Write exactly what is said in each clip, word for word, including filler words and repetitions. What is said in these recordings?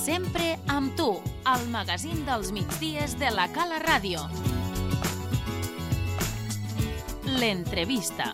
Sempre amb tu, al magazín dels migdies de la Cala Ràdio. L'entrevista.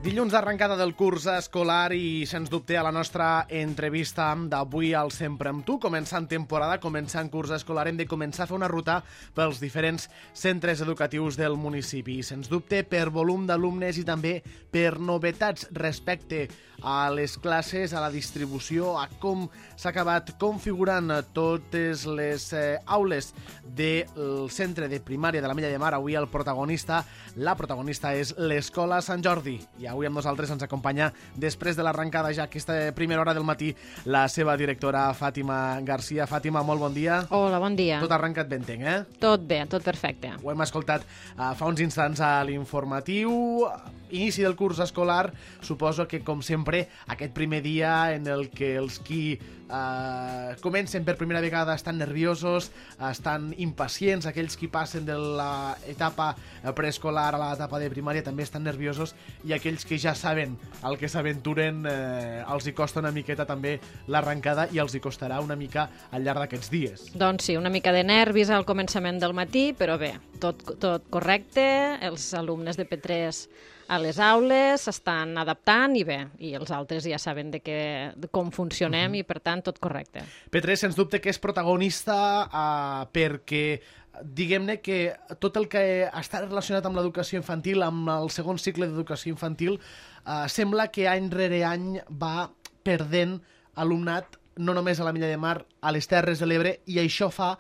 Dilluns d'arrencada del curs escolar i, sens dubte, a la nostra entrevista d'avui al Sempre amb tu. Començant temporada, començant curs escolar, hem de començar a fer una ruta pels diferents centres educatius del municipi. I, sens dubte, per volum d'alumnes i també per novetats respecte a les classes, a la distribució, a com s'ha acabat configurant totes les eh, aules del centre de primària de la Mella de Mar. Avui el protagonista, la protagonista és l'Escola Sant Jordi. I avui amb nosaltres ens acompanya, després de l'arrencada ja aquesta primera hora del matí, la seva directora Fàtima Garcia. Fàtima, molt bon dia. Hola, bon dia. Tot arrencat ben entenc, eh? Tot bé, tot perfecte. Ho hem escoltat uh, fa uns instants a l'informatiu. Inici del curs escolar, suposo que, com sempre, aquest primer dia en el que els qui uh, comencen per primera vegada estan nerviosos, estan impacients, aquells qui passen de l'etapa preescolar a l'etapa de primària també estan nerviosos, i aquells que ja saben el que s'aventuren eh, els hi costa una miqueta també l'arrencada i els hi costarà una mica al llarg d'aquests dies. Doncs sí, una mica de nervis al començament del matí, però bé, tot, tot correcte, els alumnes de P tres a les aules s'estan adaptant i bé, i els altres ja saben de, què, de com funcionem uh-huh. i per tant tot correcte. P tres, sens dubte, que és protagonista uh, perquè diguem-ne que tot el que està relacionat amb l'educació infantil, amb el segon cicle d'educació infantil, uh, sembla que any rere any va perdent alumnat, no només a la Mella de Mar, a les Terres de l'Ebre, i això fa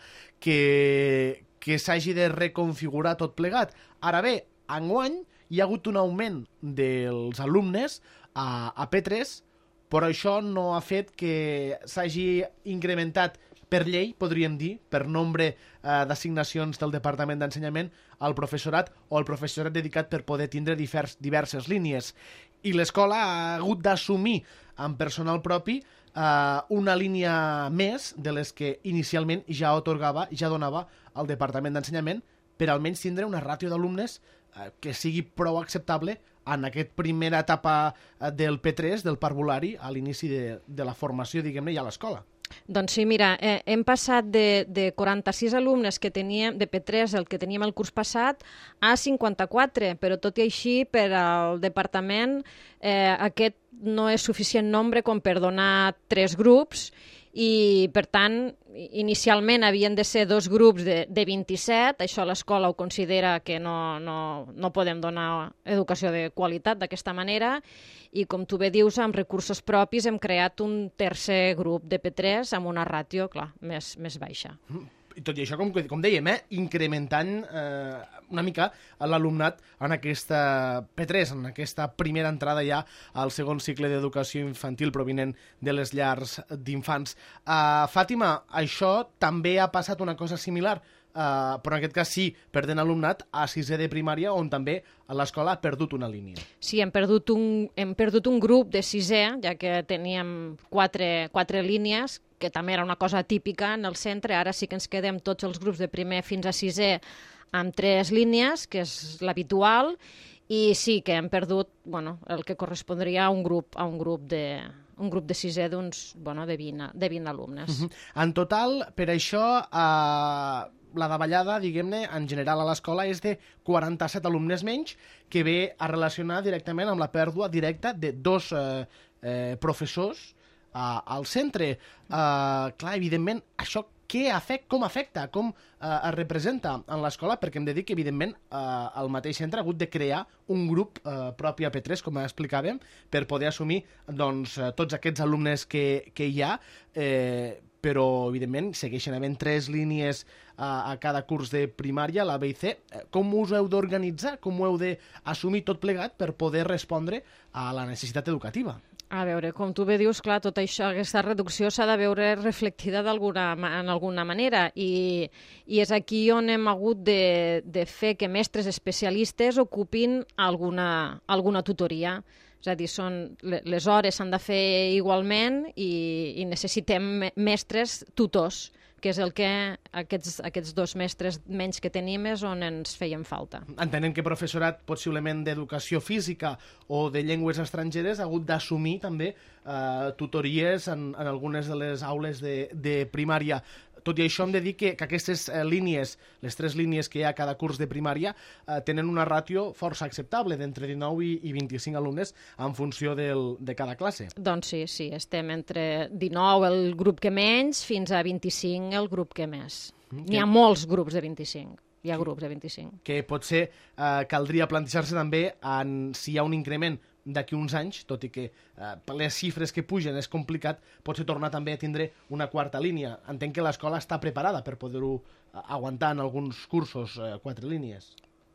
que, que s'hagi de reconfigurar tot plegat. Ara bé, enguany hi ha hagut un augment dels alumnes a, a P tres, però això no ha fet que s'hagi incrementat per llei, podríem dir, per nombre eh, d'assignacions del Departament d'Ensenyament al professorat o al professorat dedicat per poder tindre divers, diverses línies. I l'escola ha hagut d'assumir amb personal propi eh, una línia més de les que inicialment ja atorgava, ja donava al Departament d'Ensenyament, per almenys tindre una ràtio d'alumnes eh, que sigui prou acceptable en aquesta primera etapa del P tres, del parvulari, a l'inici de, de la formació, diguem-ne, ja a l'escola. Doncs sí, mira, eh, hem passat de, de quaranta-sis alumnes que teníem, de P tres, el que teníem el curs passat, a cinquanta-quatre, però tot i així, per al departament, eh, aquest no és suficient nombre com per donar tres grups, i, per tant, inicialment havien de ser dos grups de, de vint-i-set, això l'escola ho considera que no, no, no podem donar educació de qualitat d'aquesta manera, i com tu bé dius, amb recursos propis hem creat un tercer grup de P tres amb una ràtio, clar, més, més baixa. I tot i això, com, com dèiem, eh, incrementant eh, una mica l'alumnat en aquesta P tres, en aquesta primera entrada ja al segon cicle d'educació infantil provinent de les llars d'infants. Uh, Fàtima, això també ha passat una cosa similar, uh, però en aquest cas sí, perdent alumnat a sisè de primària, on també l'escola ha perdut una línia. Sí, hem perdut un, hem perdut un grup de sisè, ja que teníem quatre, quatre línies, que també era una cosa típica en el centre. Ara sí que ens quedem tots els grups de primer fins a sisè amb tres línies, que és l'habitual, i sí que hem perdut, bueno, el que correspondria a un grup, a un grup de, un grup de sisè d'uns, bueno, de vint, de vint alumnes. Uh-huh. En total, per això, eh, la davallada, diguem-ne, en general a l'escola és de quaranta-set alumnes menys, que ve a relacionar directament amb la pèrdua directa de dos eh, eh, professors Uh, al centre. Uh, clar, evidentment, això què afecta, com afecta, com uh, es representa en l'escola, perquè hem de dir que, evidentment, uh, el mateix centre ha hagut de crear un grup uh, propi a P tres, com explicàvem, per poder assumir doncs, uh, tots aquests alumnes que, que hi ha, eh, però, evidentment, segueixen havent tres línies uh, a cada curs de primària, la B i C. Com us heu d'organitzar? Com ho heu d'assumir tot plegat per poder respondre a la necessitat educativa? A veure, com tu bé dius, clar, tot això, aquesta reducció s'ha de veure reflectida d'alguna en alguna manera, i, i és aquí on hem hagut de, de fer que mestres especialistes ocupin alguna, alguna tutoria. És a dir, són, les hores s'han de fer igualment i, i necessitem mestres tutors que és el que aquests, aquests dos mestres menys que tenim és on ens feien falta. Entenem que professorat possiblement d'educació física o de llengües estrangeres ha hagut d'assumir també eh, tutories en, en algunes de les aules de, de primària. Tot i això hem de dir que, que aquestes eh, línies, les tres línies que hi ha a cada curs de primària, eh, tenen una ràtio força acceptable d'entre dinou i, i vint-i-cinc alumnes en funció del, de cada classe. Doncs sí, sí, estem entre dinou el grup que menys fins a vint-i-cinc el grup que més. Mm, N'hi ha molts grups de vint-i-cinc. Hi ha grups de vint-i-cinc. Que potser eh, caldria plantejar-se també en, si hi ha un increment d'aquí uns anys, tot i que eh, per les xifres que pugen és complicat, potser tornar també a tindre una quarta línia. Entenc que l'escola està preparada per poder-ho aguantar en alguns cursos, eh, quatre línies.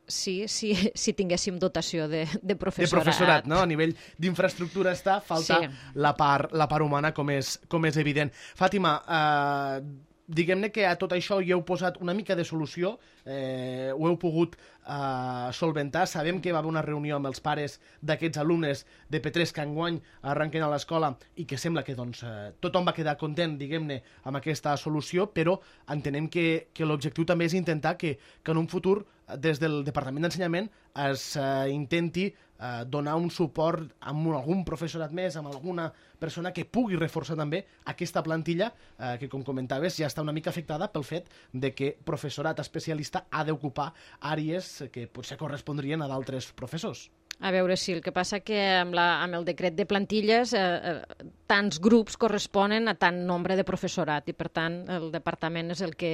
Sí, sí, si tinguéssim dotació de, de professorat. De professorat, no? A nivell d'infraestructura està, falta sí. la, part, la part humana, com és, com és evident. Fàtima, eh, diguem-ne que a tot això hi heu posat una mica de solució, eh, ho heu pogut eh, solventar. Sabem que va haver una reunió amb els pares d'aquests alumnes de P tres que enguany arrenquen a l'escola i que sembla que doncs, eh, tothom va quedar content, diguem-ne, amb aquesta solució, però entenem que, que l'objectiu també és intentar que, que en un futur des del Departament d'Ensenyament es eh, intenti eh, donar un suport amb algun professorat més, amb alguna persona que pugui reforçar també aquesta plantilla eh, que, com comentaves, ja està una mica afectada pel fet de que professorat especialista ha d'ocupar àrees que potser correspondrien a d'altres professors. A veure, sí, el que passa que amb, la, amb el decret de plantilles eh, eh, tants grups corresponen a tant nombre de professorat i, per tant, el departament és el que,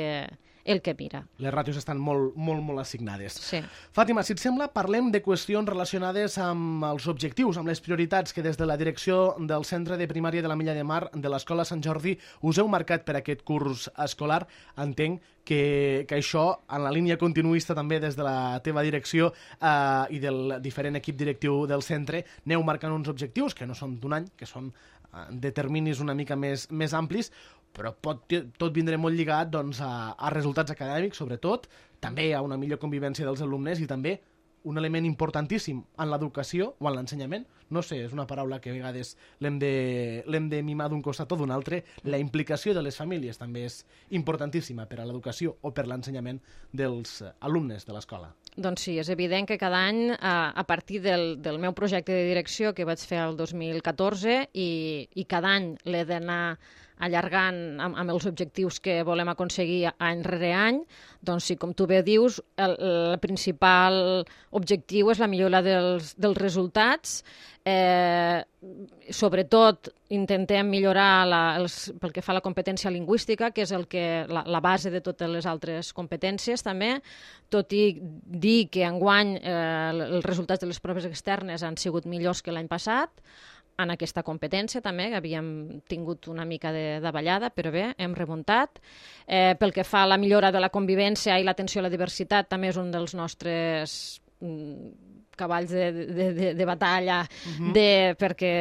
el que mira. Les ràtios estan molt, molt, molt assignades. Sí. Fàtima, si et sembla, parlem de qüestions relacionades amb els objectius, amb les prioritats que des de la direcció del Centre de Primària de la Milla de Mar de l'Escola Sant Jordi us heu marcat per aquest curs escolar. Entenc que, que això, en la línia continuista també des de la teva direcció eh, i del diferent equip directiu del centre, aneu marcant uns objectius que no són d'un any, que són eh, de terminis una mica més, més amplis, però pot, tot vindrà molt lligat doncs, a, a resultats acadèmics, sobretot, també a una millor convivència dels alumnes i també un element importantíssim en l'educació o en l'ensenyament. No sé, és una paraula que a vegades l'hem de, l'hem de mimar d'un costat o d'un altre. La implicació de les famílies també és importantíssima per a l'educació o per l'ensenyament dels alumnes de l'escola. Doncs sí, és evident que cada any, a, a partir del, del meu projecte de direcció que vaig fer el dos mil catorze i, i cada any l'he d'anar allargant amb, amb els objectius que volem aconseguir any rere any, doncs sí, com tu bé dius, el, el principal objectiu és la millora dels, dels resultats. Eh, sobretot intentem millorar la, els, pel que fa a la competència lingüística, que és el que, la, la base de totes les altres competències també, tot i dir que enguany eh, els resultats de les proves externes han sigut millors que l'any passat, en aquesta competència també, que havíem tingut una mica de davallada, però bé, hem remuntat. Eh, pel que fa a la millora de la convivència i l'atenció a la diversitat, també és un dels nostres mm, cavalls de, de, de, de batalla, uh-huh. de, perquè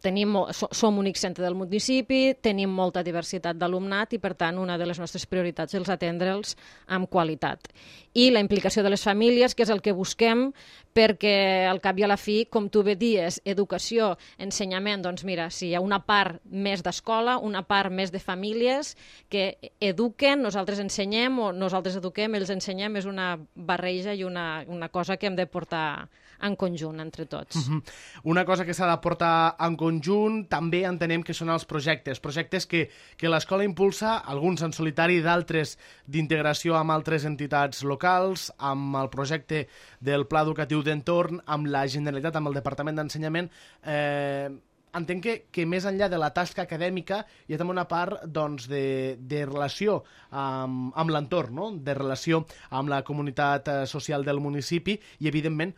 tenim, som únic centre del municipi, tenim molta diversitat d'alumnat i, per tant, una de les nostres prioritats és atendre'ls amb qualitat. I la implicació de les famílies, que és el que busquem, perquè al cap i a la fi, com tu bé dies, educació, ensenyament, doncs mira, si hi ha una part més d'escola, una part més de famílies que eduquen, nosaltres ensenyem o nosaltres eduquem, ells ensenyem, és una barreja i una, una cosa que hem de portar en conjunt entre tots. Uh-huh. Una cosa que s'ha de portar en conjunt també entenem que són els projectes, projectes que, que l'escola impulsa, alguns en solitari, d'altres d'integració amb altres entitats locals, amb el projecte del Pla Educatiu d'Entorn, amb la Generalitat, amb el Departament d'Ensenyament. Eh, entenc que, que més enllà de la tasca acadèmica hi ha també una part doncs, de, de relació amb, amb l'entorn, no? De relació amb la comunitat eh, social del municipi i, evidentment,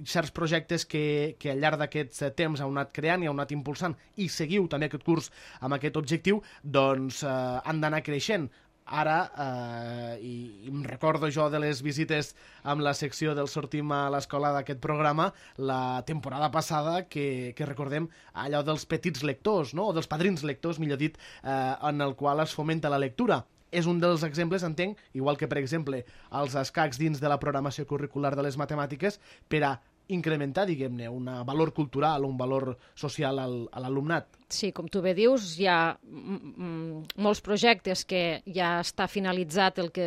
certs projectes que, que al llarg d'aquests temps heu anat creant i heu anat impulsant i seguiu també aquest curs amb aquest objectiu, doncs eh, han d'anar creixent. Ara, eh, i, i em recordo jo de les visites amb la secció del Sortim a l'escola d'aquest programa, la temporada passada, que, que recordem allò dels petits lectors, no? O dels padrins lectors, millor dit, eh, en el qual es fomenta la lectura. És un dels exemples, entenc, igual que, per exemple, els escacs dins de la programació curricular de les matemàtiques, per a incrementar, diguem-ne, un valor cultural, un valor social al, a l'alumnat. Sí, com tu bé dius, hi ha molts projectes que ja està finalitzat el que,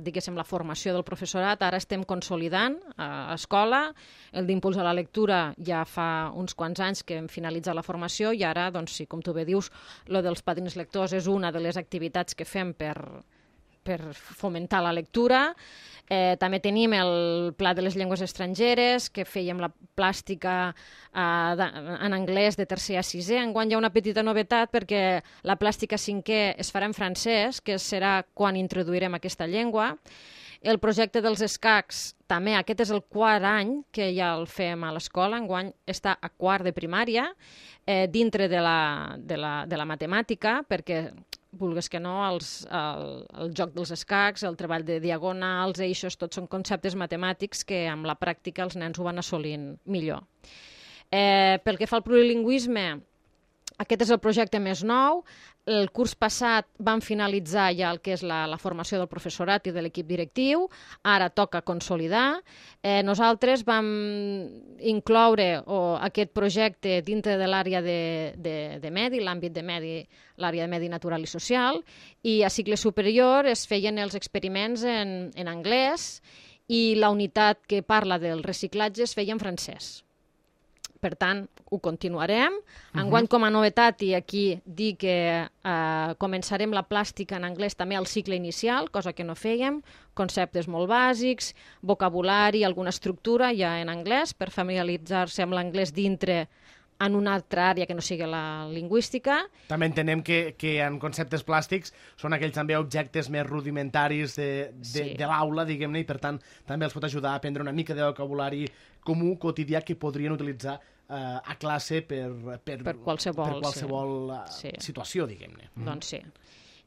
diguéssim, la formació del professorat. Ara estem consolidant a escola. El d'impuls a la lectura ja fa uns quants anys que hem finalitzat la formació i ara, doncs sí, com tu bé dius, lo dels padrins lectors és una de les activitats que fem per, per fomentar la lectura. Eh, també tenim el Pla de les Llengües Estrangeres, que fèiem la plàstica eh, de, en anglès de tercer a sisè. Enguany hi ha una petita novetat perquè la plàstica cinquè es farà en francès, que serà quan introduirem aquesta llengua. El projecte dels escacs, també aquest és el quart any que ja el fem a l'escola, enguany està a quart de primària, eh, dintre de la, de, la, de la matemàtica, perquè vulgues que no, els, el, el joc dels escacs, el treball de diagonals, eixos, tots són conceptes matemàtics que amb la pràctica els nens ho van assolint millor. Eh, pel que fa al plurilingüisme, aquest és el projecte més nou. El curs passat vam finalitzar ja el que és la, la formació del professorat i de l'equip directiu. Ara toca consolidar. Eh, nosaltres vam incloure o, aquest projecte dintre de l'àrea de, de, de medi, l'àmbit de medi, l'àrea de medi natural i social, i a cicle superior es feien els experiments en, en anglès i la unitat que parla del reciclatge es feia en francès. Per tant, ho continuarem. Enguany, com a novetat, i aquí dir que eh, començarem la plàstica en anglès també al cicle inicial, cosa que no fèiem, conceptes molt bàsics, vocabulari, alguna estructura ja en anglès, per familiaritzar-se amb l'anglès dintre en una altra àrea que no sigui la lingüística. També entenem que, que en conceptes plàstics són aquells també objectes més rudimentaris de, de, Sí. de l'aula, diguem-ne, i per tant també els pot ajudar a aprendre una mica de vocabulari comú, quotidià, que podrien utilitzar eh, a classe per, per, Per qualsevol, per qualsevol sí. eh, Sí. situació, diguem-ne. Doncs sí.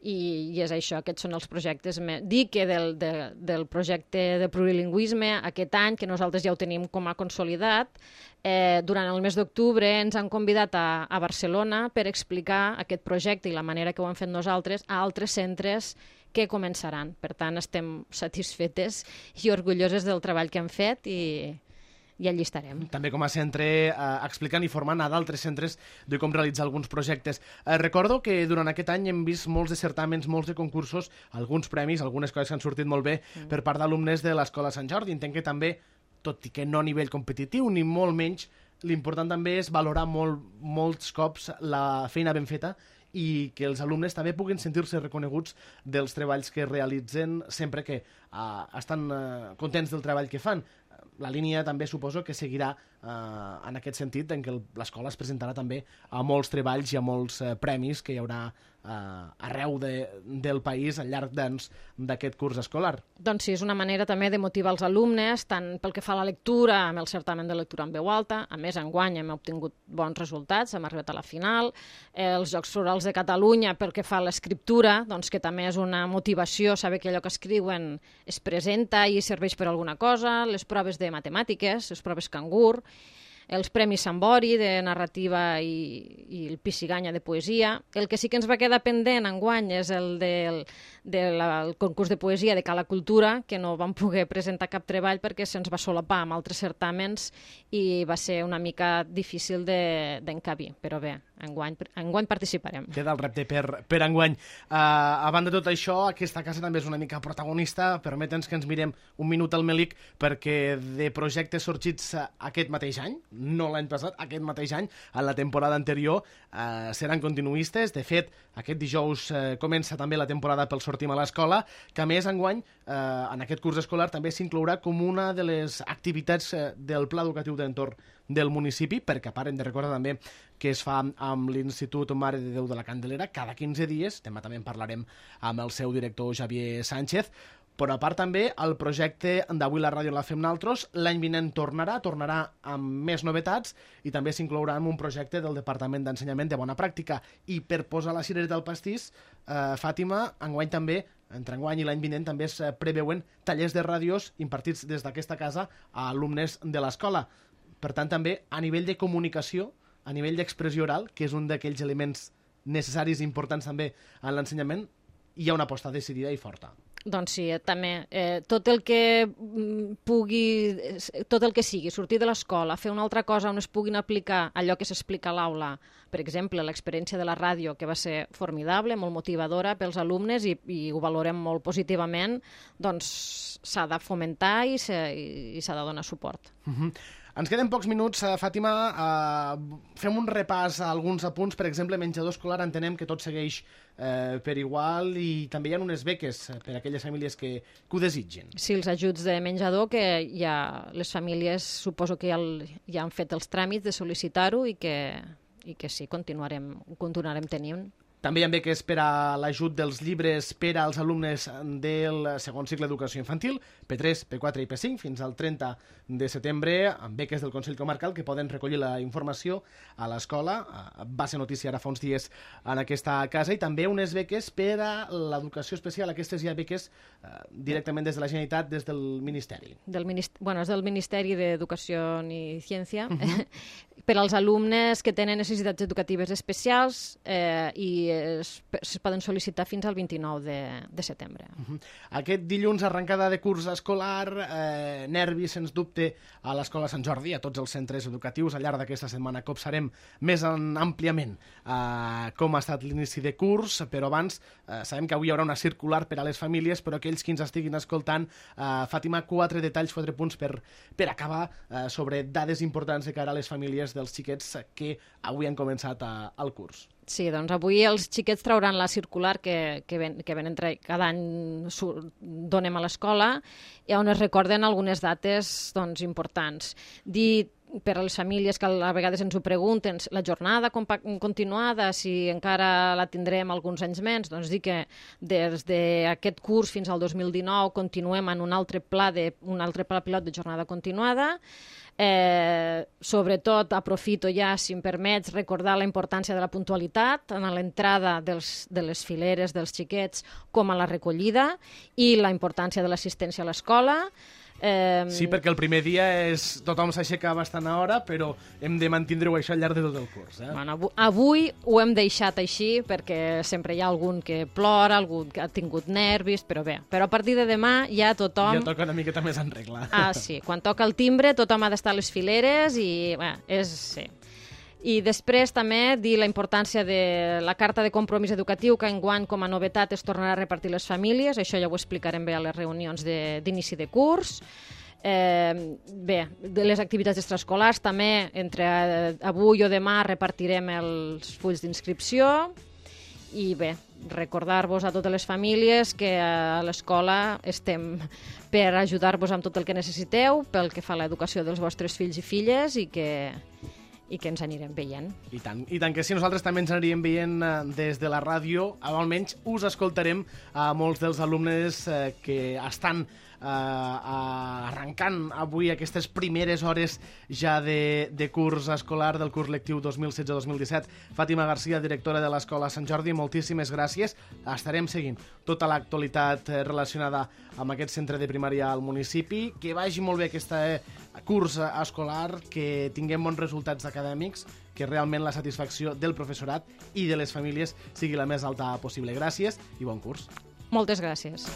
I, I és això, aquests són els projectes. Me... Dir que del, de, del projecte de plurilingüisme aquest any, que nosaltres ja ho tenim com a consolidat, eh, durant el mes d'octubre ens han convidat a, a Barcelona per explicar aquest projecte i la manera que ho hem fet nosaltres a altres centres que començaran. Per tant, estem satisfetes i orgulloses del treball que hem fet i, i allí estarem. També com a centre eh, explicant i formant a d'altres centres de com realitzar alguns projectes. Eh, recordo que durant aquest any hem vist molts de certàmens, molts de concursos, alguns premis, algunes coses que han sortit molt bé mm. per part d'alumnes de l'Escola Sant Jordi. Entenc que també, tot i que no a nivell competitiu ni molt menys, l'important també és valorar molt, molts cops la feina ben feta i que els alumnes també puguin sentir-se reconeguts dels treballs que realitzen sempre que uh, estan uh, contents del treball que fan. La línia també suposo que seguirà eh, en aquest sentit, en què l'escola es presentarà també a molts treballs i a molts eh, premis que hi haurà eh, arreu de, del país al llarg d'aquest curs escolar. Doncs sí, és una manera també de motivar els alumnes, tant pel que fa a la lectura, amb el certamen de lectura en veu alta. A més, enguany hem obtingut bons resultats, hem arribat a la final. Eh, els Jocs Florals de Catalunya, pel que fa a l'escriptura, doncs que també és una motivació saber que allò que escriuen es presenta i serveix per alguna cosa. Les proves de matemàtiques, les proves Cangur, els Premis Sambori de narrativa i, i el Pisciganya de poesia. El que sí que ens va quedar pendent enguany és el del, del el concurs de poesia de Cala Cultura, que no vam poder presentar cap treball perquè se'ns va solapar amb altres certàmens i va ser una mica difícil d'encabir, de, però bé, enguany, enguany participarem. Queda el repte per, per enguany. Uh, a banda de tot això, aquesta casa també és una mica protagonista. Permetens que ens mirem un minut al Melic, perquè de projectes sorgits aquest mateix any, no l'any passat, aquest mateix any, en la temporada anterior, eh, seran continuistes. De fet, aquest dijous eh, comença també la temporada pel Sortim a l'Escola, que a més enguany, eh, en aquest curs escolar, també s'inclourà com una de les activitats eh, del Pla Educatiu d'Entorn del municipi, perquè a part hem de recordar també que es fa amb l'Institut Mare de Déu de la Candelera cada quinze dies, demà també en parlarem amb el seu director Xavier Sánchez, però a part també el projecte d'Avui la ràdio la fem naltros, l'any vinent tornarà, tornarà amb més novetats i també s'inclourà en un projecte del Departament d'Ensenyament de Bona Pràctica. I per posar la cirereta al pastís, eh, Fàtima, enguany també, entre enguany i l'any vinent, també es preveuen tallers de ràdios impartits des d'aquesta casa a alumnes de l'escola. Per tant, també a nivell de comunicació, a nivell d'expressió oral, que és un d'aquells elements necessaris i importants també en l'ensenyament, hi ha una aposta decidida i forta. Doncs sí, també. Eh, tot el que pugui, tot el que sigui, sortir de l'escola, fer una altra cosa on es puguin aplicar allò que s'explica a l'aula, per exemple, l'experiència de la ràdio, que va ser formidable, molt motivadora pels alumnes i, i ho valorem molt positivament, doncs s'ha de fomentar i s'ha de donar suport. Uh-huh. Ens queden pocs minuts, Fàtima. Uh, fem un repàs a alguns apunts. Per exemple, menjador escolar, entenem que tot segueix eh, per igual i també hi ha unes beques per a aquelles famílies que, que ho desitgin. Sí, els ajuts de menjador, que ja les famílies suposo que ja, el, ja han fet els tràmits de sol·licitar-ho i que, i que sí, continuarem, continuarem tenint. També hi ha beques per a l'ajut dels llibres per als alumnes del segon cicle d'educació infantil, P tres, P quatre i P cinc, fins al trenta de setembre, amb beques del Consell Comarcal que poden recollir la informació a l'escola. Va ser notícia ara fa uns dies en aquesta casa. I també unes beques per a l'educació especial. Aquestes hi ha beques eh, directament des de la Generalitat, des del Ministeri. Del minist... bueno, és del Ministeri d'Educació i Ciència. Uh-huh. Per als alumnes que tenen necessitats educatives especials eh, i es, es poden sol·licitar fins al vint-i-nou de setembre. Uh-huh. Aquest dilluns, arrencada de curs escolar, eh, nervis, sens dubte, a l'Escola Sant Jordi, a tots els centres educatius. Al llarg d'aquesta setmana copsarem més en, àmpliament eh, com ha estat l'inici de curs, però abans eh, sabem que avui hi haurà una circular per a les famílies, però aquells que ens estiguin escoltant, eh, Fàtima, quatre detalls, quatre punts per, per acabar eh, sobre dades importants de cara a les famílies dels xiquets que avui han començat a, al curs. Sí, doncs avui els xiquets trauran la circular que, que, ven, que ven entre, cada any donem a l'escola, i on es recorden algunes dates doncs, importants. Dir per a les famílies que a vegades ens ho pregunten, la jornada continuada, si encara la tindrem alguns anys menys, doncs dir que des d'aquest curs fins al dos mil dinou continuem en un altre pla, de, un altre pla pilot de jornada continuada. Eh, sobretot aprofito ja, si em permets, recordar la importància de la puntualitat en l'entrada dels, de les fileres dels xiquets com a la recollida i la importància de l'assistència a l'escola. Eh... Sí, perquè el primer dia és tothom s'aixeca bastant a hora, però hem de mantindre-ho això al llarg de tot el curs. Eh? Bueno, avui, avui ho hem deixat així perquè sempre hi ha algun que plora, algun que ha tingut nervis, però bé, però a partir de demà ja tothom... Ja toca una miqueta més en regla. Ah, sí, quan toca el timbre tothom ha d'estar a les fileres i bé, és... Sí. I després també dir la importància de la carta de compromís educatiu, que enguany com a novetat es tornarà a repartir les famílies. Això ja ho explicarem bé a les reunions d'inici de, de curs. Eh, bé, de les activitats extraescolars també, entre avui o demà repartirem els fulls d'inscripció. I bé, recordar-vos a totes les famílies que a l'escola estem per ajudar-vos amb tot el que necessiteu pel que fa a l'educació dels vostres fills i filles i que... i que ens anirem veient. I tant, i tant que sí, nosaltres també ens anirem veient eh, des de la ràdio, almenys us escoltarem a molts dels alumnes eh, que estan eh, arrencant avui aquestes primeres hores ja de, de curs escolar del curs lectiu dos mil setze dos mil disset. Fàtima Garcia, directora de l'Escola Sant Jordi, moltíssimes gràcies. Estarem seguint tota l'actualitat relacionada amb aquest centre de primària al municipi. Que vagi molt bé aquesta eh, curs escolar, que tinguem bons resultats acadèmics, que realment la satisfacció del professorat i de les famílies sigui la més alta possible. Gràcies i bon curs. Moltes gràcies.